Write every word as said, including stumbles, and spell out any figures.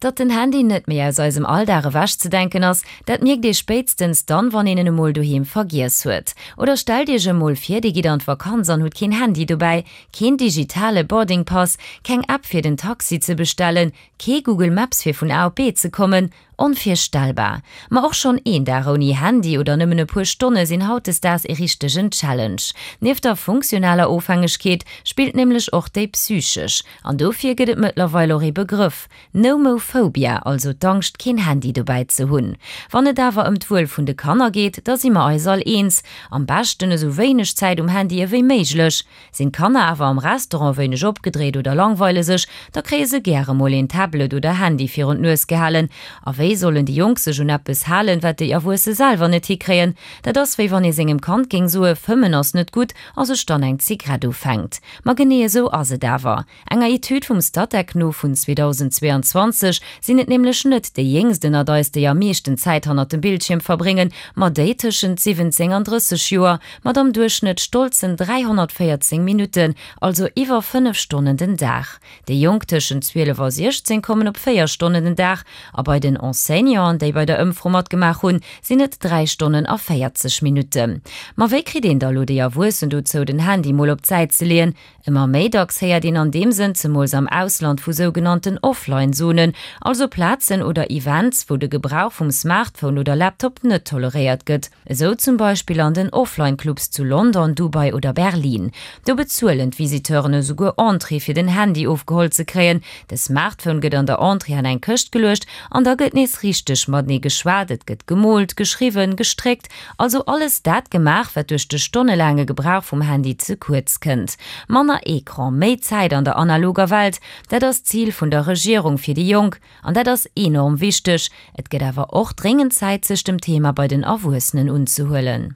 Datt den Handy net méi aus eisem Alldag ewechzedenken ass, dat mierkt ee spéitstens dann, wann een en emol doheem vergiess huet. Oder stellt iech emol vir, dir gitt an d'Vakanz an hutt keen Handy dobäi, keen digitale Boarding Pass, keng App fir den Taxi ze bestellen, kee Google Maps fir vun A op B ze kommen. Onvirstellbar! Ma och schonn een Dag ouni Handy oder nëmmen e puer Stonne sinn hautdesdaags ee richtegen Challenge. Nieft der funktionaler Ofhängegkeet spillt nämlech och déi psychesch. An dofir gëtt et mëttlerweil och ee Begrëff, Nomophobia, also d'Angscht keen Handy dobäi ze hunn. Wann et awer ëm d'Wuel vun de Kanner geet, da si mer eis all eens, am beschten esou wéineg Zäit um Handy ewéi méiglech. Sinn d'Kanner awer am Restaurant wéineg opgedréit oder langweile sech, da kréie se gäre mol een Tablet oder Handy virun d'Nues gehalen. A wéi sollen déi Jonk sech un eppes halen, wat déi Erwuesse selwer net hikréien? Dat ass wéi wann ee sengem Kand géing soe fëmmen ass net gutt a sech dann eng Zigarett ufänkt. Ma genee esou ass et awer. Enger Etüd vum Statec no vun zweedausend zweeanzwanzeg sinn et nämlech net déi Jéngst ënnert eis, déi am meeschten Zäit hannert dem Bildschierm verbréngen, ma déi tëschent siwwenzéng an drësseg Joer, mat am Duerchschnëtt stolzen dräihonnertvéierzéng Minutten, also iwwer fënnef Stonnen den Dag. Déi Jonk tëschent zwielef a siechzéng kommen op véier Stonnen den Dag a bei den Enseignanten, déi bei der Ëmfro matgemaach hunn, sinn et dräi Stonnen a véierzeg Minutten. Ma wéi kritt een da lo déi Erwuessen dozou, den Handy mol op d'Säit ze leeën? Ëmmer méi dacks héiert een an deem Sënn, zemools am Ausland, vu sougenannten Offline-Zonen, also Plazen oder Events, wou de Gebrauch vum Smartphone oder Laptop net toleréiert gëtt. Esou zum Beispill an den Offline-Clubs zu London, Dubai oder Berlin. Do bezuelen d'Visiteuren esouguer Entrée fir den Handy ofgeholl ze kréien. De Smartphone gëtt an der Entrée an eng Këscht geluecht an da gëtt nees richteg matenee geschwat, et gëtt gemoolt, geschriwwen, gestréckt, also alles dat gemaach, wat duerch de stonnelaange Gebrauch vum Handy ze kuerz kënnt. Manner Ecran, méi Zäit an der analoger Welt, dat ass d'Zil vun der Regierung fir déi Jonk. An dat ass enorm wichteg. Et gëtt awer och dréngend Zäit, sech dem Thema bei den Erwuessenen unzehuelen.